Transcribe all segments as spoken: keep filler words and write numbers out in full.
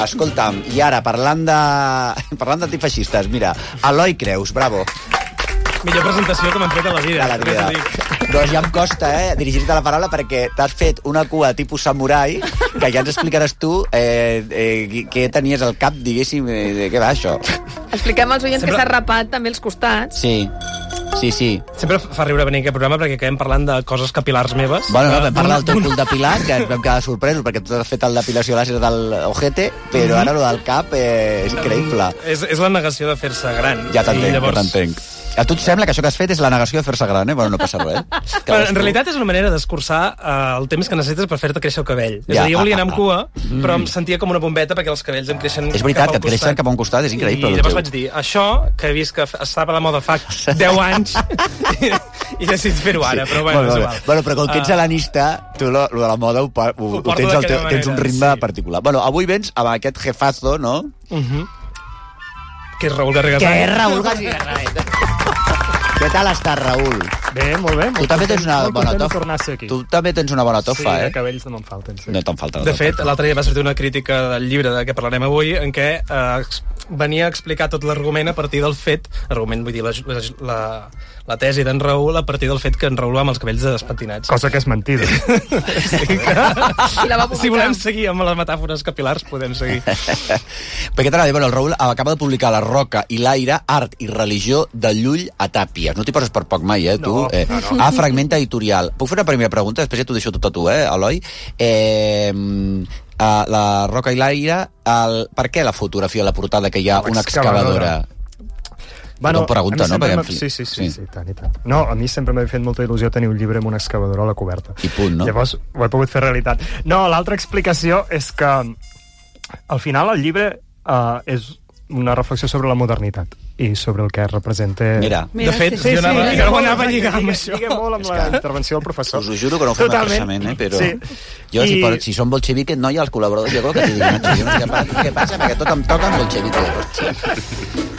escolta'm, i ara, parlant de... parlant d'antifeixistes, mira, Eloi Creus, bravo. Millor presentació que m'han fet a la vida. A la vida. Doncs ja em costa, eh, dirigir-te la paraula perquè t'has fet una cua tipus samurai que ja ens explicaràs tu eh, eh, què tenies al cap, diguéssim, eh, de què va això. Expliquem als oients Sempre... que s'ha rapat també els costats. Sí. Sí, sí. Sempre fa riure venir a aquest programa perquè acabem parlant de coses capilars meves. Bueno, no, vam parlar del teu cul depilat, que ens vam quedar sorpresos perquè tu has fet el depilació làser del ojete, però mm-hmm. ara lo del cap eh, és increïble. És, és la negació de fer-se gran. Ja t'entenc, llavors... ja t'entenc. A tu et sembla que això que has fet és la negació de fer-se gran, eh? Bueno, no passa res. Però en realitat és una manera d'escurçar uh, el temps que necessites per fer-te créixer el cabell. Ja. És a dir, jo volia anar amb cua, mm. però em sentia com una bombeta perquè els cabells em creixen és veritat, cap al que et creixen cap a un costat, és increïble. I llavors vaig dir, això, que he vist que estava a la moda fa deu anys, i, i decido fer-ho ara, però bueno, bueno, és igual. Bueno, però com que ets helenista, tu lo, lo de la moda ho, ho, ho, ho tens, el teu, tens un ritme sí. particular. Bueno, avui vens amb aquest jefazo, no? Uh -huh. Que és Raül Garriga. Que és Raül Garriga. Què tal estàs, Raül? Bé, molt bé. Tu també tens una bona tofa. Aquí. Tu també tens una bona tofa, sí, eh? Sí, cabells no me'n falten. Sí. No te'n falta. De fet, l'altre dia va sortir una crítica del llibre de què parlarem avui, en què eh, venia a explicar tot l'argument a partir del fet, argument, vull dir, la, la, la tesi d'en Raül a partir del fet que en Raül va amb els cabells despentinats. Cosa que és mentida. sí, que... si volem seguir amb les metàfores capilars, podem seguir. Perquè t'anava a dir, bueno, el Raül acaba de publicar La Roca i l'Aire, Art i Religió de Llull a Tàpies. No t'hi poses per poc mai, eh, tu? No, eh, no, no. A Fragmenta Editorial. Puc fer una primera pregunta? Després ja t'ho deixo tot a tu, eh, Eloi? Eh... Uh, la Roca i l'Aire, el... per què la fotografia a la portada que hi ha una excavadora? Bueno, pregunta, no? Perquè... Sí, sí, sí, sí, sí, tant i tant. No, a mi sempre m'ha fet molta il·lusió tenir un llibre amb una excavadora a la coberta. I punt, no? Llavors ho he pogut fer realitat. No, l'altra explicació és que al final el llibre uh, és una reflexió sobre la modernitat i sobre el que representa... Mira, de fet, sí, sí, jo anava, sí, jo anava a lligar amb això. Lliga molt amb la intervenció del professor. Us ho juro que no ho fem expressament, eh? Però sí. jo, si, I... por, si són bolxeviques, no hi ha els col·laboradors, jo crec que t'hi diuen, jo no sé què passa, què passa, perquè tot em toca amb bolxeviques.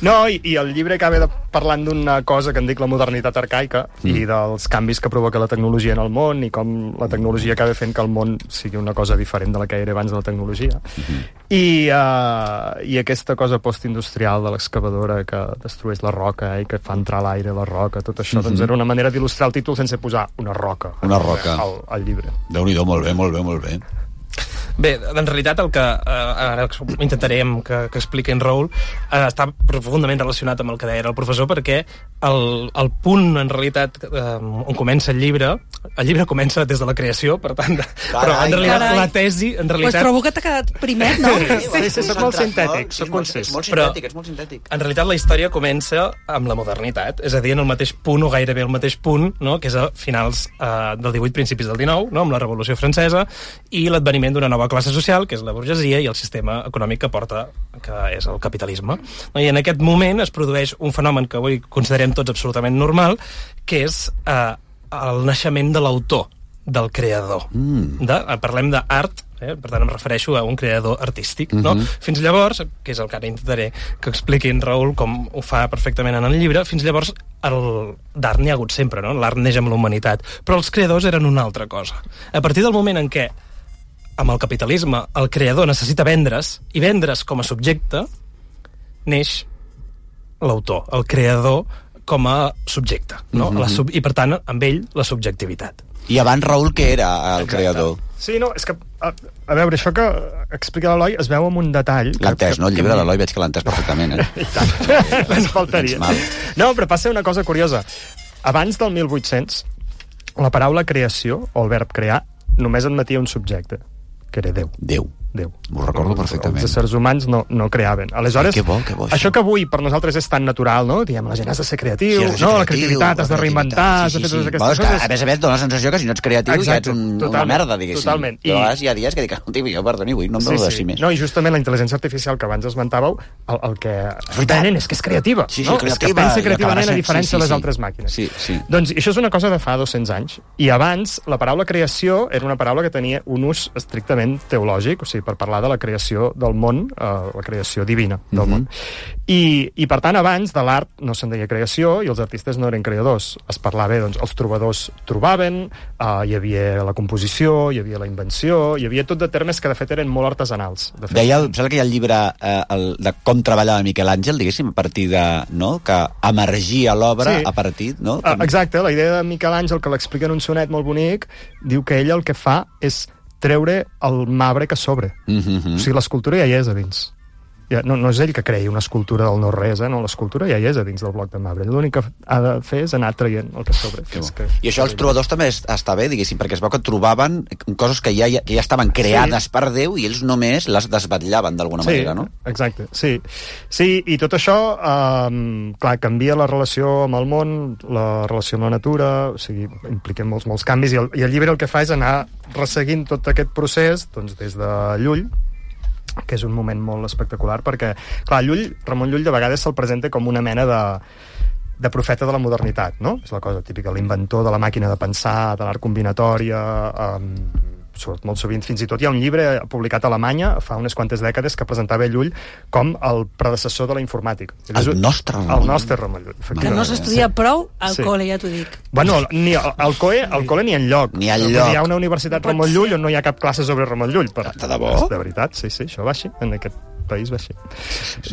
No, i, i el llibre acaba de parlant d'una cosa que en dic la modernitat arcaica mm. i dels canvis que provoca la tecnologia en el món i com la tecnologia acaba fent que el món sigui una cosa diferent de la que era abans de la tecnologia. Mm-hmm. I, uh, i aquesta cosa postindustrial de l'excavadora que destrueix la roca i que fa entrar l'aire a la roca, tot això, mm-hmm. doncs era una manera d'il·lustrar el títol sense posar una roca, una roca. Al, al llibre. Déu-n'hi-do, molt bé, molt bé, molt bé. Bé, en realitat el que eh, ara intentarem que, que expliqui en Raül eh, està profundament relacionat amb el que deia el professor, perquè el, el punt en realitat eh, on comença el llibre, el llibre comença des de la creació, per tant, carai, però en realitat carai. la tesi en realitat... Pues trobo que t'ha quedat primer, no? Sí, sí, soc molt sintètic, soc conscient. És molt sintètic, és molt sintètic. En realitat la història comença amb la modernitat, és a dir, en el mateix punt o gairebé el mateix punt, no? Que és a finals eh, del divuit, principis del dinou, no? Amb la Revolució Francesa i l'adveniment d'una nova classe social, que és la burgesia, i el sistema econòmic que porta, que és el capitalisme. I en aquest moment es produeix un fenomen que avui considerem tots absolutament normal, que és eh, el naixement de l'autor, del creador. Mm. De, parlem d'art, eh? Per tant em refereixo a un creador artístic. Mm-hmm. No? Fins llavors, que és el que ara intentaré que expliqui en Raül com ho fa perfectament en el llibre, fins llavors d'art n'hi ha hagut sempre, no? L'art neix amb la humanitat, però els creadors eren una altra cosa. A partir del moment en què amb el capitalisme, el creador necessita vendre's, i vendre's com a subjecte, neix l'autor, el creador com a subjecte, no? Mm-hmm. La sub... I, per tant, amb ell, la subjectivitat. I abans, Raül, què era el Exacte. creador? Sí, no, és que, a, a veure, això que explica l'Eloi es veu amb un detall... L'ha entès, no? El llibre de l'Eloi veig que l'ha entès perfectament, eh? I tant, ens faltaria. No, però passa una cosa curiosa. Abans del mil vuit-cents, la paraula creació, o el verb crear, només admetia un subjecte, que era Déu. Déu. Déu. M'ho recordo perfectament. Els éssers humans no, no creaven. Aleshores, que bo, que bo, això. això que avui per nosaltres és tan natural, no? Diem, la gent has de ser creatiu, sí, de ser no? Creatiu, la creativitat, has de reinventar, sí, sí, has de fer totes sí. aquestes Bueno, coses. Que, a més a més, dona la sensació que si no ets creatiu Exacte, ja ets un, una merda, diguéssim. Totalment. I... Però hi ha dies que dic, no, tio, jo, perdoni, avui no em sí, sí. sí. més. No, i justament la intel·ligència artificial que abans esmentàveu, el, el que tenen és que és creativa. Sí, sí, no? creativa. És que pensa creativament a diferència sí, sí, de les sí. altres màquines. Sí, sí. Doncs això és una cosa de fa dos-cents anys. I abans, la paraula creació era una paraula que tenia un ús estrictament teològic, o sigui, sigui, per parlar de la creació del món, uh, la creació divina del Mhm. món. I, I, per tant, abans de l'art no se'n deia creació i els artistes no eren creadors. Es parlava, doncs, els trobadors trobaven, uh, hi havia la composició, hi havia la invenció, hi havia tot de termes que, de fet, eren molt artesanals. De fet, Deia, em sembla que hi ha el llibre eh, el, de com treballava Miquel Àngel, diguéssim, a partir de... No? Que emergia l'obra Sí. a partir... No? Ah, exacte, la idea de Miquel Àngel, que l'explica en un sonet molt bonic, diu que ell el que fa és treure el marbre que sobre. Mm-hmm. O sigui, l'escultura ja hi és a dins. Ja, no, no és ell que creï una escultura del no-res, eh? No, l'escultura ja hi és a dins del bloc de marbre. L'únic que ha de fer és anar traient el que sobre. Que És que... I això els trobadors també es- està bé, diguéssim, perquè es veu que trobaven coses que ja, que ja estaven creades Sí. per Déu i ells només les desvetllaven d'alguna Sí, manera, no? exacte, sí. Sí, i tot això, eh, clar, canvia la relació amb el món, la relació amb la natura, o sigui, impliquem molts, molts canvis, i el, i el llibre el que fa és anar resseguint tot aquest procés, doncs, des de Llull, que és un moment molt espectacular, perquè, clar, Llull, Ramon Llull de vegades se'l presenta com una mena de, de profeta de la modernitat, no? És la cosa típica, l'inventor de la màquina de pensar, de l'art combinatòria, um, molt sovint, fins i tot hi ha un llibre publicat a Alemanya fa unes quantes dècades que presentava Llull com el predecessor de la informàtica. El És un- nostre Ramon El nostre Ramon Llull, Que efectivament. no s'estudia prou al Sí. col·le, ja t'ho dic. Bueno, ni al, al COE, al col·le ni enlloc. Ni enlloc. Vull dir, Hi ha una universitat No pot Ramon Llull ser. on no hi ha cap classe sobre Ramon Llull. Per, De debò? De veritat, sí, sí, això va així, en aquest país va així.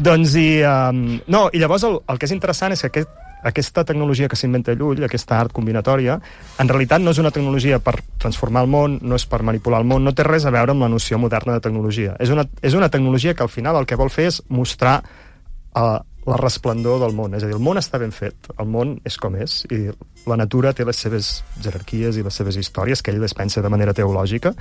Doncs, i, um, no, i llavors el, el que és interessant és que aquest, aquesta tecnologia que s'inventa Llull, aquesta art combinatòria, en realitat no és una tecnologia per transformar el món, no és per manipular el món, no té res a veure amb la noció moderna de tecnologia. És una, és una tecnologia que al final el que vol fer és mostrar uh, la resplendor del món. És a dir, el món està ben fet, el món és com és, i la natura té les seves jerarquies i les seves històries, que ell les pensa de manera teològica,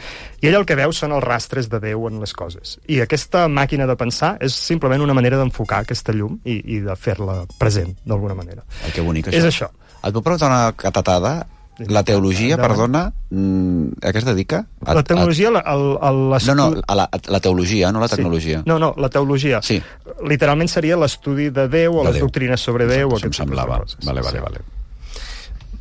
i ell el que veu són els rastres de Déu en les coses. I aquesta màquina de pensar és simplement una manera d'enfocar aquesta llum i, i de fer-la present, d'alguna manera. Ai, que bonic, això. És això. Et puc preguntar una catatada? La teologia, Endavant. perdona, mm, a què es dedica? A, La tecnologia, la, el, el, A, no, no, a la, a la teologia, no la tecnologia. Sí. No, no, la teologia. Sí. Literalment seria l'estudi de Déu o De les Déu. doctrines sobre Déu. Això em aquest tipus de semblava. coses. Vale, vale, Sí. vale.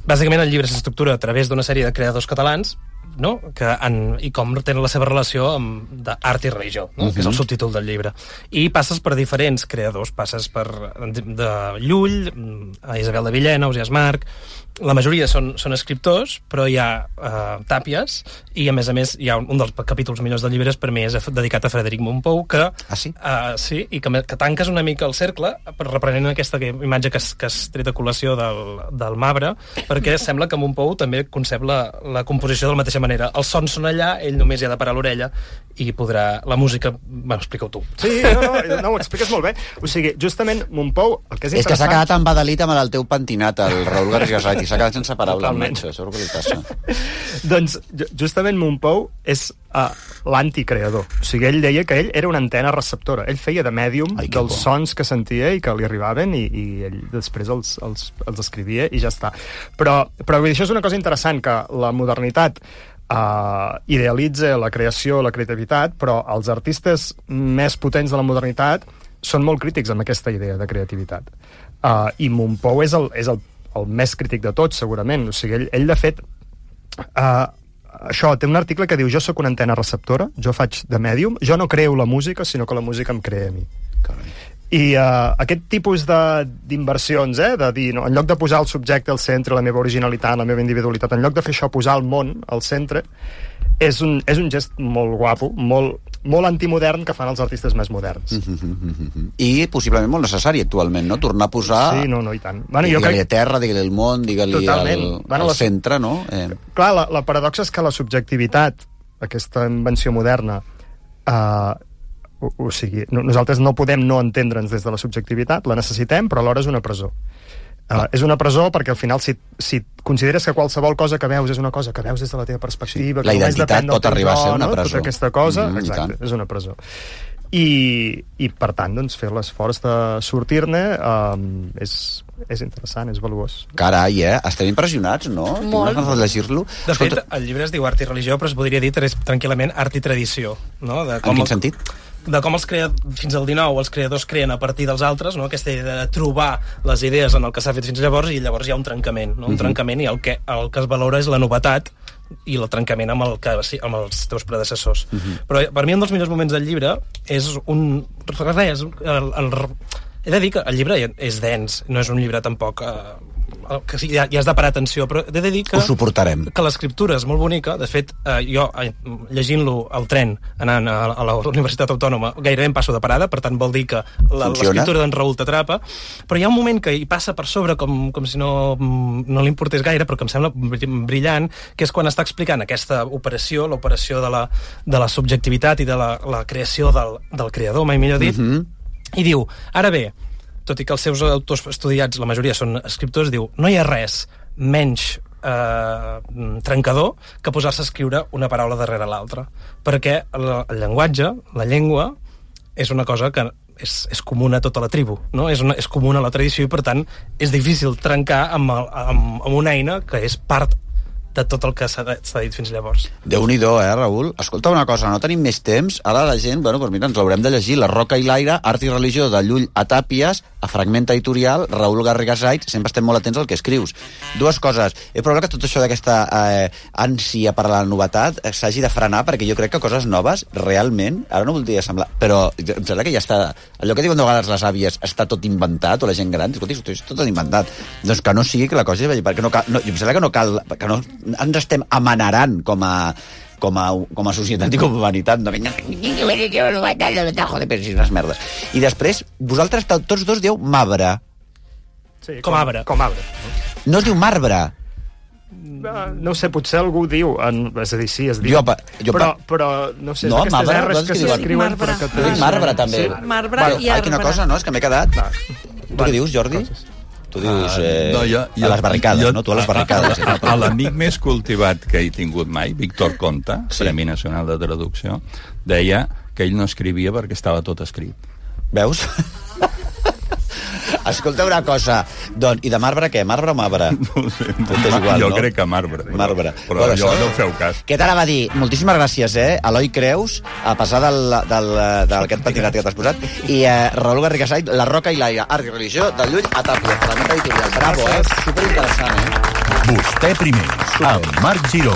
Bàsicament, el llibre s'estructura a través d'una sèrie de creadors catalans, no? Que han, i com tenen la seva relació amb d'art i religió, no? Uh-huh. Que és el subtítol del llibre. I passes per diferents creadors, passes per de Llull, a Isabel de Villena, Ausiàs Marc. La majoria són, són escriptors, però hi ha uh, tàpies, i a més a més hi ha un, un dels capítols millors del llibre és per mi és dedicat a Frederic Mompou, que, Ah, sí? uh, sí, i que, que tanques una mica el cercle, reprenent aquesta imatge que has, que has tret a col·lació del, del Mabre, perquè sembla que Mompou també concep la, la composició de la mateixa manera. Els sons són allà, ell només hi ha de parar l'orella i podrà... La música... Bueno, explica-ho tu. Sí, no, no, no, ho expliques molt bé. O sigui, justament, Mompou, el que és És que s'ha interessant... quedat embadalit amb el teu pentinat, el Raül García Sait, i s'ha quedat sense paraula amb Totalment. això, això és el que li passa. Doncs, ju- justament Mompou és uh, l'anticreador. O sigui, ell deia que ell era una antena receptora. Ell feia de mèdium Ai, que dels bo. sons que sentia i que li arribaven i, i ell després els, els, els escrivia i ja està. Però, però vull dir, això és una cosa interessant, que la modernitat uh, idealitza la creació, la creativitat, però els artistes més potents de la modernitat són molt crítics amb aquesta idea de creativitat. Uh, I Mompou és el, és el, el més crític de tots, segurament. O sigui, ell, ell de fet, uh, això, té un article que diu: jo sóc una antena receptora, jo faig de mèdium, jo no creo la música, sinó que la música em crea a mi. Carai. I uh, aquest tipus de- d'inversions, eh, de dir, no, en lloc de posar el subjecte al centre, la meva originalitat, la meva individualitat, en lloc de fer això, posar el món al centre, és un, és un gest molt guapo, molt, molt antimodern, que fan els artistes més moderns. Mm-hmm. I possiblement molt necessari actualment, no? Tornar a posar... Sí, no, no, i tant. Bueno, jo digue-li crec... a terra, digue-li al món, digue-li al, Totalment. Bueno, al la- centre, no? Eh, Clar, la, la paradoxa és que la subjectivitat, aquesta invenció moderna, eh, o, o sigui, no, nosaltres no podem no entendre'ns des de la subjectivitat, la necessitem, però alhora és una presó. Uh, és una presó perquè al final si, si consideres que qualsevol cosa que veus és una cosa que veus des de la teva perspectiva, Sí. La que només identitat depèn del pot teu arribar a ser jo, una no? presó. Tota aquesta cosa, Mm, i exacte, tant. és una presó. I, i per tant, doncs, fer l'esforç de sortir-ne um, és, és interessant, és valuós. Carai, eh? Estem impressionats, no? Tinc Molt. ganes de llegir-lo. De fet, el llibre es diu Art i Religió, però es podria dir tres- tranquil·lament Art i Tradició. No? De En quin el- sentit? de com els crea, fins al dinou els creadors creen a partir dels altres, no? Aquesta idea de trobar les idees en el que s'ha fet fins llavors, i llavors hi ha un trencament, no? Un Mhm. trencament, i el que, el que es valora és la novetat i el trencament amb, el que, amb els teus predecessors. Uh-huh. Però per mi un dels millors moments del llibre és un... res, el, el, he de dir que el llibre és dens, no és un llibre tampoc... Eh, que sí, ja, ja has de parar atenció, però he de dir que... Ho suportarem. Que l'escriptura és molt bonica. De fet, eh, jo, eh, llegint-lo al tren, anant a, a la Universitat Autònoma, gairebé em passo de parada, per tant vol dir que l'escriptura d'en Raül t'atrapa, però hi ha un moment que hi passa per sobre com, com si no, no li importés gaire, però que em sembla brillant, que és quan està explicant aquesta operació, l'operació de, la, de la subjectivitat i de la, la creació del, del creador, mai millor dit, mm-hmm. i diu, ara bé, tot i que els seus autors estudiats, la majoria són escriptors, diu, no hi ha res menys eh, trencador que posar-se a escriure una paraula darrere l'altra. Perquè el, el llenguatge, la llengua, és una cosa que és, és comuna a tota la tribu, no? És, una, és comuna a la tradició i, per tant, és difícil trencar amb, el, amb, amb una eina que és part de tot el que s'ha dit fins llavors. Déu-n'hi-do, eh, Raül? Escolta una cosa, no tenim més temps. Ara la gent, bueno, doncs mira, ens l'haurem de llegir. La Roca i l'aire, art i religió, de Llull a Tàpies, a Fragment Editorial, Raül Garrigasait, sempre estem molt atents al que escrius. Dues coses. És probable que tot això d'aquesta eh, ànsia per la novetat s'hagi de frenar, perquè jo crec que coses noves, realment, ara no voldria semblar, però em sembla que ja està... Allò que diuen de vegades les àvies, està tot inventat, o la gent gran, escolti, és tot inventat. Doncs que no sigui que la cosa... Perquè no cal, no, em sembla que no cal... Que no, ens estem amanerant com a, com a, com a societat i com a humanitat. No, joder, però si unes merdes. I després, vosaltres tots dos dieu marbre. Sí, com, com arbre. Com arbre. No es diu marbre. No, no sé, potser algú diu, en, és a dir, sí, es diu, jo, jo, però, però no sé, no, aquestes marbre, erres que s'escriuen... Sí, marbre. Jo dic marbre, també. Sí, marbre bueno, i arbre. Quina cosa, no? És que m'he quedat... Va. Tu què dius, Jordi? Coses. Tu dius eh, uh, no, jo, jo, a les barricades, jo, no? Tu a les barricades. A, a, a l'amic més cultivat que he tingut mai, Víctor Conta, sí. Premi Nacional de Traducció, deia que ell no escrivia perquè estava tot escrit. Veus? Escolta una cosa, doncs, i de marbre què? Marbre o marbre? No sé, és igual, jo no? crec que marbre. Però, marbre. Però bueno, jo això... no feu cas. Què t'anava a dir? Moltíssimes gràcies, eh? Eloi Creus, a passar del, del, del aquest patinat que t'has posat, i eh, Raül Garrigasait, La Roca i l'aire, art i religió, de Llull a Tàpies, Fragment Editorial. Bravo, eh? Superinteressant, eh? Vostè primer, amb Marc Giró.